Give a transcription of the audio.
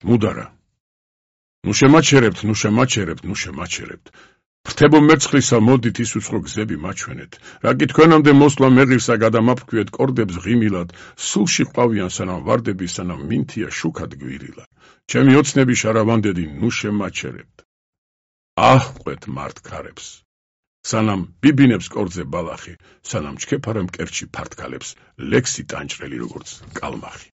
მუდარა. ნუ შემაჩერებთ. ფრთებო მერცხლისა მოდით ის უცხო გზები მაჩვენეთ. რაგი თქვენამდე მოსვლა მეღირსა გადამაფრქვიეთ კორდებს ღიმილად, სულში ყვავიან სანამ ვარდები, სანამ მინთია შუქად გვირილა. ჩემი ოცნები შარავანდედი, ნუ შემაჩერებთ. აჰყვეთ მართქარებს. სანამ ბიბინებს კორძე ბალახი, სანამ ჩქეფარა მკერჩი ფართკალებს, ლექსი ტანჭრელი როგორც კალმახი.